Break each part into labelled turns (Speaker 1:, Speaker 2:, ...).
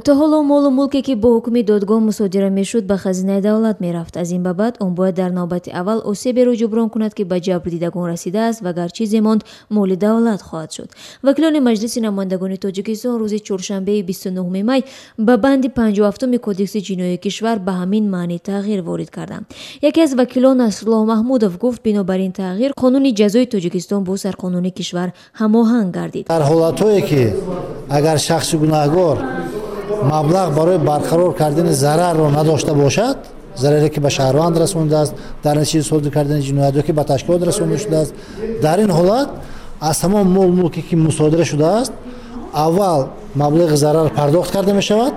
Speaker 1: То ҳоло молу мулке, ки бо ҳукми додгоҳ мусодира мешуд, ба хазинаи давлат мерафт. Аз ин ба баъд он бояд дар навбати аввал осеберо ҷуброн кунад, ки ба ҷабрдидагон расидааст ва гар чизе монд, моли давлат хоҳад шуд. Вакилони Маҷлиси намояндагони Тоҷикистон рӯзи чоршанбеи 29 май ба банди 57-уми Кодекси ҷиноии кишвар ба ҳамин маънӣ тағйир ворид карданд. Яке аз вакилон, Насруллоҳ Маҳмудов, гуфт, бинобар ин тағйир қонуни ҷазои Тоҷикистон бо сарқонуни кишвар ҳамоҳанг гардид.
Speaker 2: Дар ҳолатҳое, ки агар шахси гунаҳгор маблағ барои барқарор кардани зарарро надошта бошад, зараре ки ба шаҳрванд расондааст дар натиҷаи содир кардани ҷиноят ё ки ба ташкилот расонда шудааст, дар ин ҳолат аз ҳамон мол мулке, ки мусодира шудааст, аввал маблағи зарар пардохт карда мешавад,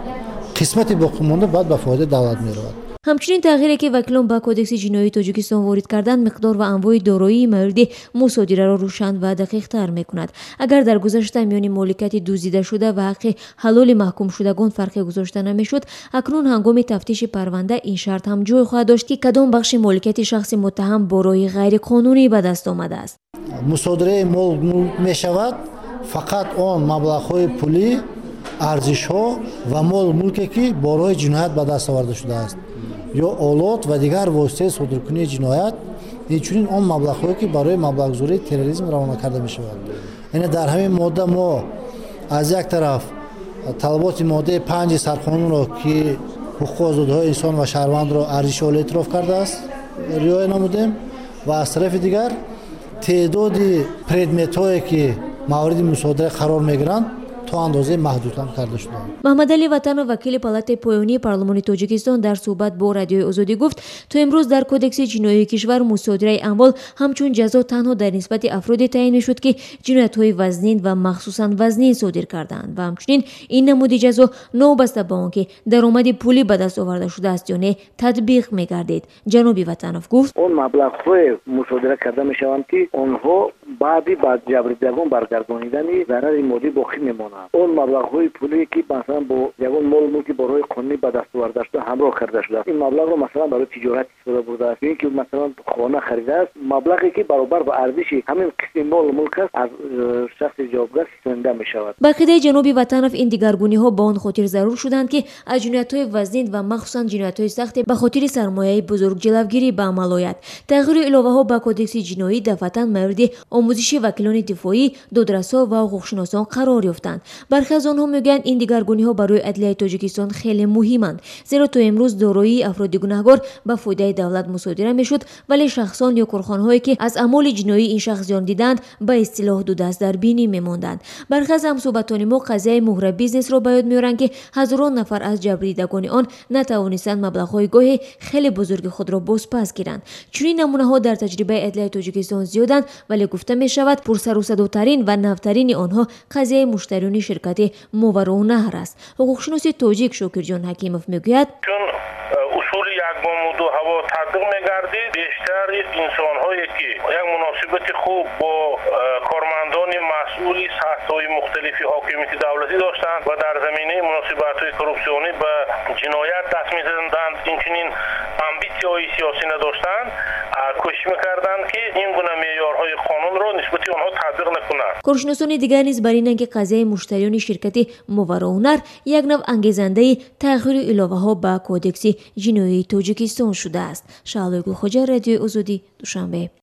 Speaker 2: қисмати боқимонда баъд ба фоидаи давлат меравад.
Speaker 1: Ҳамчунин тағйире, ки вакилон ба Кодекси ҷиноии Тоҷикистон ворид карданд, миқдор ва анвои дороии мавриди мусодираро рӯшан ва дақиқтар мекунад. Агар дар гузашта миёни моликияти дуздидашуда ва ҳаққи ҳалоли маҳкумшудагон фарқе гузошта намешуд, акнун ҳангоми тафтиши парванда ин шарт ҳам ҷой хоҳад дошт, ки кадом бахши моликияти шахси муттаҳам бо роҳи ғайриқонунӣ ба даст омадааст.
Speaker 2: Мусодираи мол мулк мешавад фақат он маблағҳои пулӣ, арзишҳо ва мол мулке, ки бо роҳи ҷиноят ба даст оварда шудааст ё олот ва дигар воситаи содиркунии ҷиноят, инчунин он маблағҳое, ки барои маблағгузории терроризм равона карда мешавад. Яъне дар ҳамин модда мо аз як тараф талаботи моддаи 5-и сарқонунро, ки ҳуқуқу озодиҳои инсон ва шаҳрвандро арзиши олӣ эътироф кардааст, риоя намудем ва аз тарафи дигар теъдоди предметҳое, ки мавриди мусодира қарор мегиранд, то андозаи маҳдудам карда шуданд.
Speaker 1: Маҳмадалӣ Ватанов, вакили палатаи поёнии парлумони Тоҷикистон, дар суҳбат бо Радиои Озодӣ гуфт, то имрӯз дар Кодекси ҷиноии кишвар мусодираи амвол ҳамчун ҷазо танҳо дар нисбати афроде таъин мешуд, ки ҷиноятҳои вазнин ва махсусан вазнин содир кардаанд ва ҳамчунин ин намуди ҷазо новобаста ба он ки даромади пулӣ ба даст оварда шудааст ё не, татбиқ мегардид. Ҷаноби Ватанов гуфт:
Speaker 3: Он маблағҳое мусодира карда мешаванд, ки онҳо баъди ба ҷабрдидагон баргардонидани зарари моддӣ боқӣ мемонанд. Он маблағҳои пулие, ки масалан бо ягон молу мулки бо роҳи қонунӣ ба даст оварда шуда ҳамроҳ карда шудааст, ин маблағро масалан барои тиҷорат истифода бурдааст ё ин ки масалан хона харидааст, маблағе, ки баробар ба арзиши ҳамин қисми молу мулк аст, аз шахси ҷавобгар ситонида мешавад.
Speaker 1: Ба ақидаи ҷаноби Ватанов, ин дигаргуниҳо ба он хотир зарур шуданд, ки аз ҷиноятҳои вазнин ва махсусан ҷиноятҳои сахте ба хотири сармояи бузург ҷилавгирӣ ба амал ояд. Тағйиру иловаҳо ба Кодекси ҷиноӣ дафъатан мавриди омӯзиши вакилони дифоӣ, додрасҳо ва ҳуқуқшиносон қарор ёфтанд. Бархе аз онҳо мегӯянд, ин дигаргуниҳо барои адлияи Тоҷикистон хеле муҳиманд, зеро то имрӯз дороии афроди гунаҳгор ба фоидаи давлат мусодира мешуд, вале шахсон ё корхонаҳое, ки аз аъмоли ҷиноии ин шахс зиён диданд, ба истилоҳ дудаст дар бинӣ мемонданд. Бархе аз ҳамсӯҳбатони мо қазияи муҳра бизнесро ба ёд меоранд, ки ҳазорон нафар аз ҷабрдидагони он натавонистанд маблағҳои гоҳе хеле бузурги худро бозпас гиранд. Чунин намунаҳо дар таҷрибаи адлияи Тоҷикистон зиёданд, вале гуфта мешавад, пурсарусадотарин ва навтарини онҳо қазияи муштариёни ширкати Мовароуннаҳр аст. Ҳуқуқшиноси тоҷик Шокирҷон Ҳакимов мегӯяд:
Speaker 4: Чун усули якбомуду ҳаво татбиқ мегардид, бештари инсонҳое, ки як муносибати хуб бо кормандони масъули сатҳҳои мухталифи ҳокимияти давлатӣ доштанд ва дар заминаи муносибатҳои коррупсионӣ ба ҷиноят даст мезаданд, инчунин амбитсияҳои сиёсӣ надоштанд, кӯшиш мекарданд, ки ин гуна меъёрҳои қонунро нисбати онҳо татбиқ накунанд.
Speaker 1: Коршиносони дигар низ бар инанд, ки қазияи муштариёни ширкати Мовароуннаҳр як нав ангезандаи тағйиру иловаҳо ба Кодекси ҷиноии Тоҷикистон шудааст. Шаҳлои Гулхоҷа, Радиои Озодӣ, Душанбе.